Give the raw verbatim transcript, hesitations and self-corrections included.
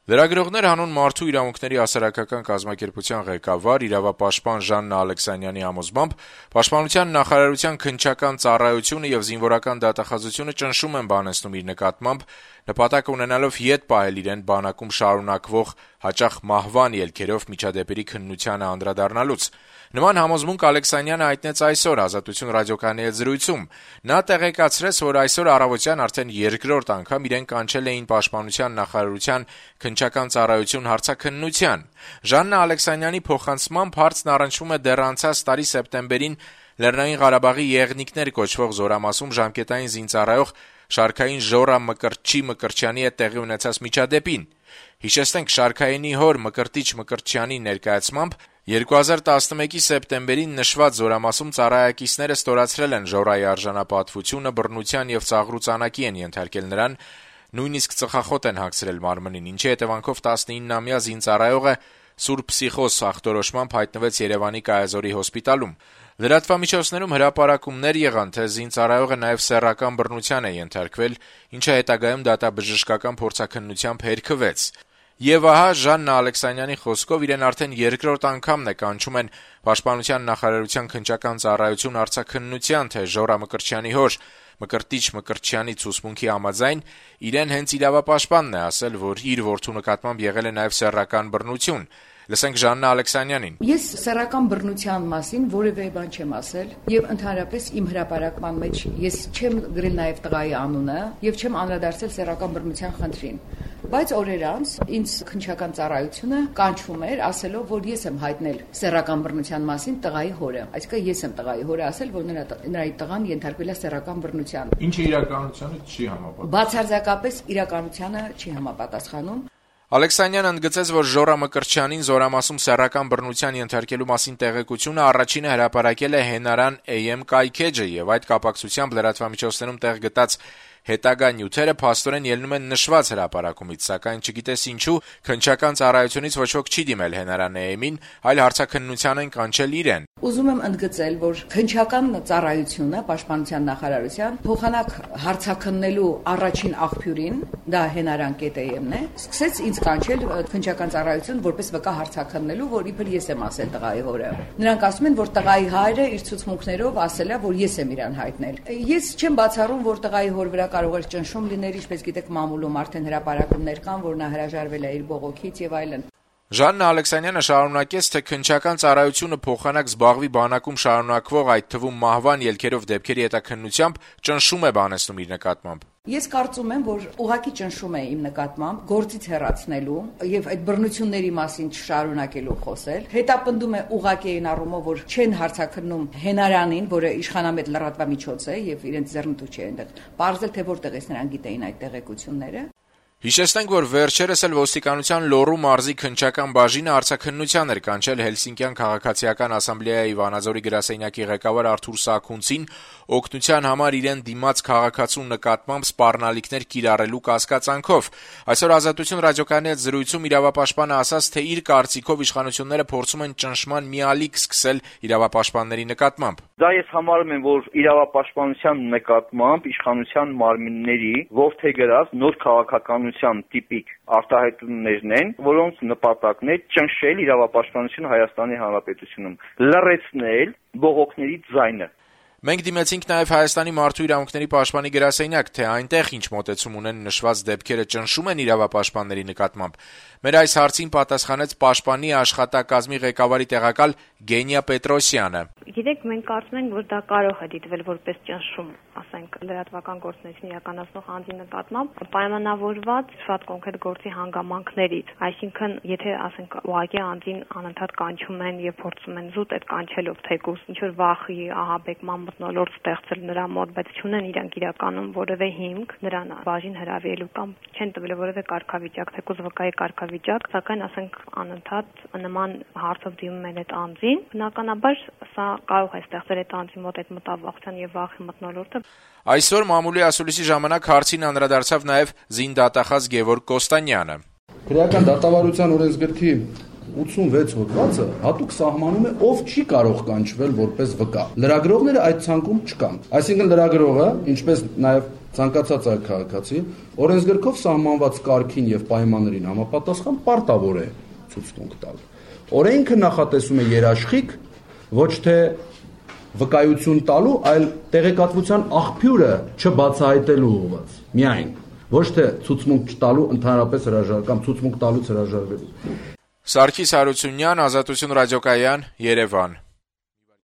Լրագրողներ հանուն մարդու իրավունքների հասարակական կազմակերպության ղեկավար, իրավապաշտպան Ժաննա Ալեքսանյանի համոզմամբ Պաշտպանության նախարարության քննչական ծառայությունը եւ զինվորական դատախազությունը ճնշում են բանեցնում իր նկատմամբ, նպատակ ունենալով ետ պահել իրեն բանակում շարունակվող հաճախ մահվան ելքերով միջադեպերի քննությանը անդրադառնալուց։ Նման համոզմունք Ալեքսանյանը հայտնեց այսօր Ազատություն ռադիոկայանի հետ զրույցում։ Նա տեղեկացրեց, որ այսօր առավոտյան արդեն երկրորդ անգամ իրեն կանչել էին Պաշտպանության նախարարության քննչական ծառայություն հարցաքննության։ Ժաննա Ալեքսանյանի փոխանցմամբ հարցն առնչվում է դեռ անցած տարի սեպտեմբերին Լեռնային Ղարաբաղի Եղնիկներ կոչվող զորամասում ժամկետային զինծառայող շարքային Ժորա Մկրտչի Մկրտչյանի հետ տեղի ունեցած միջադեպին։ Հիշեցնենք, շարքայինի հոր Մկրտիչ Մկրտչյանի ներկայացմամբ երկու հազար տասնմեկի սեպտեմբերին նշված զորամասում ծառայակիցները ստորացրել են Ժորայի արժանապատվությունը, բռնության եւ ծաղրու ծանակի են ենթարկել նրան, նույնիսկ ծխախոտ են հագցրել մարմնին, ինչի հետևանքով տասնիննամյա զինծառայողը սուր փսիխոզ ախտորոշմամբ հայտնվեց Երևանի Կայազորի հոսպիտալում։ Լրատվամիջոցներում հրապարակումներ եղան, թե զինծառայողը նաեւ սեռական բռնության է ենթարկվել, ինչը հետագայում դատաբժշկական փորձաքննությամբ հերքվեց։ Եվ ահա Ժաննա Ալեքսանյանի խոսքով իրեն արդեն երկրորդ անգամն է կանչում են Պաշտպանության նախարարության քննչական ծառայություն հարցաքննության, թե Ժորա Մկրտչյանի հոր Մկրտիչ Մկրտչյանի ցուցմունքի համաձայն իրեն հենց իրավապաշտպանն է ասել, որ իր որդու նկատմամբ եղել է նաեւ սեռական բռնություն։ Լսենք Ժաննա Ալեքսանյանին։ Ես սեռական բռնության մասին որևէ բան չեմ ասել եւ ընդհանրապես իմ հրապարակման մեջ ես չեմ գրել նաեւ տղայի անունը եւ չեմ անդրադարձել սեռական բռնության խնդրին։ Բայց օրեր անց ինձ քննչական ծառայությունը կանչում էր ասելով, որ ես եմ հայտնել սեռական բռնության մասին տղայի հորը։ Այսինքն ես եմ տղայի հորը ասել, որ նրա նրա տղան ենթարկվել է սեռական բռնության։ Ինչը իրականությանը չի համապատասխանում։ Բացարձակապես իրականությանը չի համապատասխանում։ Ալեքսանյանը ընդգծեց, որ Ժորա Մկրտչյանին զորամասում սեռական բռնության ենթարկելու մասին տեղեկությունը առաջինը հրապարակել է Հենարան Էյ Էմ կայքեջը եւ այդ կապակցությամբ լրատվամիջոցներում տեղ գտած հետագա նյութերը փաստորեն ելնում են նշված հրապարակումից, սակայն չգիտես ինչու քննչական ծառայությունից ոչ ոք չի դիմել Հենարան Էյ Էմին, այլ հարցաքննության են կանչել իրեն։ Ուզում եմ ընդգծել, որ քննչական ծառայությունը Պաշտպանության նախարարության փոխանակ հարցաքննելու առաջին աղբյուրին, դա Հենարան Էյ Էմն է, սկսեց ինձ կանչել քննչական ծառայություն որպես վկա հարցաքննելու, որ իբր ես եմ ասել տղայի հորը։ Նրանք ասում են, որ տղայի հայրը իր ցուցմունքներով ասել է, որ ես եմ իրան հայտնել։ Ես չեմ բացառում, որ տղայի հոր վրա կարող էր ճնշում լինել, ինչպես գիտեք, մամուլում արդեն հրապարակումներ կան, որ նա հրաժարվել է իր բողոքից եւ այլն։ Ժաննա Ալեքսանյանը շարունակեց, թե քննչական ծառայությունը փոխանակ զբաղվի բանակում շարունակվող, այդ թվում մահվան ելքերով դեպքերի հետաքննությամբ ճնշում է բանեցնում իր նկատմամբ։ Ես կարծում եմ, որ ուղղակի ճնշում է իմ նկատմամբ գործից հեռացնելու եւ այդ բռնությունների մասին չշարունակելու խոսել։ Հետապնդում է ուղղակի այն առումով, որ չեն հարցաքննում Հենարանին, որը իշխանամետ լրատվամիջոց է եւ իրենց ձեռնտու չէ այնտեղ։ Պարզել թե որտեղից նրանք գիտեին այդ տեղեկությունները։ Հիշեցնենք, որ վերջերս էլ ոստիկանության Լոռու մարզի քննչական բաժինը հարցաքննության էր կանչել Հելսինկյան քաղաքացիական ասամբլեայի Վանաձորի գրասենյակի ղեկավար Արթուր Սաքունցին օգնության համար իրեն դիմաց քաղաքացու նկատմամբ սպառնալիքներ կիրառելու կասկածանքով։ Այսօր Ազատություն ռադիոկայանի հետ զրույցում իրավապաշտպանը ասաց, թե իր կարծիքով իշխանությունները փորձում են ճնշման մի ալիք սկսել իրավապաշտպանների նկատմամբ։ Դա ես համարում եմ, որ իրավապաշտպանության նկատմամբ իշխանության մարմինների ողջերգրած նոր քաղաքականության տիպիկ արտահայտումներն են, որոնց նպատակն է ճնշել իրավապաշտպանությունը Հայաստանի Հանրապետությունում, լռեցնել բողոքների ձայնը։ Մենք դիմեցինք նաև Հայաստանի մարդու իրավունքների պաշտպանի գրասենյակ, թե այնտեղ ինչ մոտեցում ունեն նշված դեպքերը ճնշում են իրավապաշտպանների նկատմամբ։ Մեր այս հարցին պատասխանեց պաշտպանի աշխատակազմի ղեկավարի տեղակալ Գենիա Պետրոսյանը։ Գիտեք, մենք կարծում ենք, որ դա կարող է դիտվել որպես ճնշում, ասենք, լրատվական գործունեություն իրականացնող անձի նկատմամբ, պայմանավորված շատ կոնկրետ գործի հանգամանքներից։ Այսինքն, եթե ասենք ուղղակի անձին անընդհատ կանչում են եւ փորձում են զուտ այդ կանչելով թեկուզ ինչ որ վախի, ահաբեկման մթնոլորտ ստեղծել նրա մոտ, բայց չունեն իրանք իրականում որևէ հիմք նրան բաժին հրավիրելու կամ չեն տվել որևէ կարգավիճակ, թեկուզ վկայի կարգավիճակ, սակայն ասենք անընդհատ նման հարցով դիմում են այդ անձին, բնականաբար սա կարող է ստեղծել այդ անձի մոտ այդ մտավախության եւ վախի մթնոլորտը։ Այսօր մամուլի ասուլիսի ժամանակ հարցին անդրադարձավ նաեւ զինդատախազ Գևորգ Կոստանյանը։ Քրեական դատավարության օրենսգրքի ութսունվեց հոդվածը հատուկ սահմանում է ով չի կարող կանչվել որպես վկա։ Լրագրողները այդ ցանկում չկան։ Այսինքն լրագրողը, ինչպես նաեւ ցանկացած այլ քաղաքացի օրենսգրքով սահմանված կարգին եւ պայմաններին համապատասխան պարտավոր է ցուցմունք տալ։ Օրենքը նախատեսում է երաշխիք ոչ թե վկայություն տալու, այլ տեղեկատվության աղբյուրը չբացահայտելու ուղղված։ Միայն ոչ թե ցուցմունք չտալու ընդհանրապես հրաժար կամ ցուցմունք տալուց հրաժարվելու։ Սարգիս Հարությունյան, Ազատություն ռադիոկայան, Երևան։